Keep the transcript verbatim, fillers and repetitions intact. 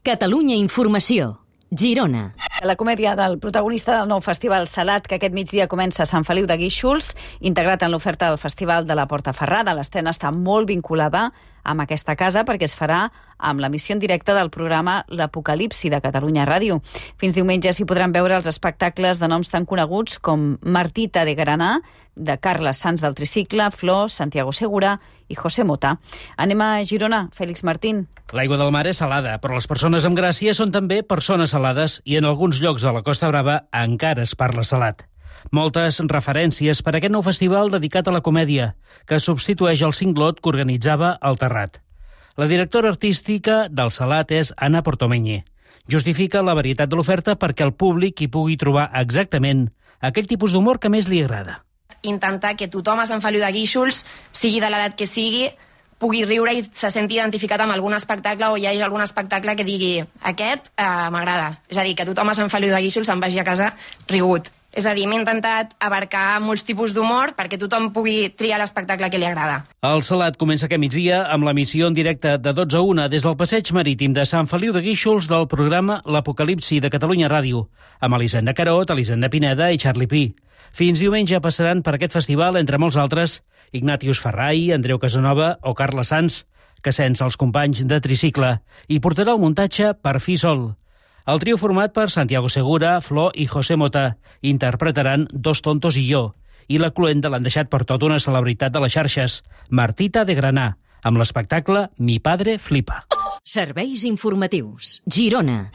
Catalunya Informació. Girona. La comèdia del protagonista del nou Festival Salat, que aquest migdia comença a Sant Feliu de Guíxols, integrat en l'oferta del Festival de la Portaferrada. L'estrena està molt vinculada amb aquesta casa perquè es farà amb l'emissió en directe del programa L'Apocalipsi de Catalunya Ràdio. Fins diumenge s'hi podran veure els espectacles de noms tan coneguts com Martita de Granà, de Carles Sans del Tricicle, Flor, Santiago Segura i José Mota. Anem a Girona. Fèlix Martín. L'aigua del mar és salada, però les persones amb gràcia són també persones salades i en alguns llocs de la Costa Brava encara es parla salat. Moltes referències per a aquest nou festival dedicat a la comèdia, que substitueix el cinglot que organitzava el Terrat. La directora artística del Salat és Anna Portomeñe. Justifica la varietat de l'oferta perquè el públic hi pugui trobar exactament aquell tipus d'humor que més li agrada. Intentar que tothom a Sant Feliu de Guíxols, sigui de l'edat que sigui, pugui riure i se senti identificat amb algun espectacle o hi hagi algun espectacle que digui aquest eh, m'agrada. És a dir, que tothom a Sant Feliu de Guíxols se'n vagi a casa rigut. És a dir, m'he intentat abarcar molts tipus d'humor perquè tothom pugui triar l'espectacle que li agrada. El Salat comença aquest migdia amb l'emissió en directe de dotze a una des del passeig marítim de Sant Feliu de Guíxols del programa L'Apocalipsi de Catalunya Ràdio, amb Elisenda Carot, Elisenda Pineda i Charlie Pi. Fins diumenge passaran per aquest festival, entre molts altres, Ignatius Ferrai, Andreu Casanova o Carles Sans, que sense els companys de Tricicle, i portarà el muntatge Per fi sol. El trio format per Santiago Segura, Flor i José Mota interpretaran Dos tontos i jo, i la cluenda l'han deixat per tota una celebritat de les xarxes, Martita de Granà, amb l'espectacle Mi padre flipa. Serveis informatius. Girona.